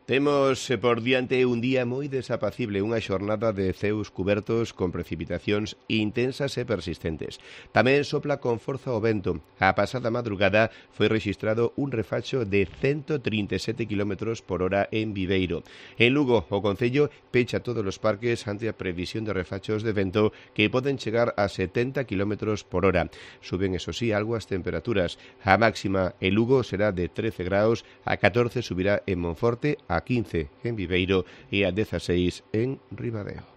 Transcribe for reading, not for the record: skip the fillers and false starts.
Temos por diante un día moi desapacible, unha xornada de ceus cubertos con precipitacións intensas e persistentes. Tamén sopla con forza o vento. A pasada madrugada foi rexistrado un refacho de 137 km por hora en Viveiro. En Lugo, o Concello pecha todos os parques ante a previsión de refachos de vento que poden chegar a 70 km por hora. Suben, eso sí, algo as temperaturas. A máxima en Lugo será de 13 graus, a 14 subirá en Monforte, a 15 en Viveiro e a 16 en Ribadeo.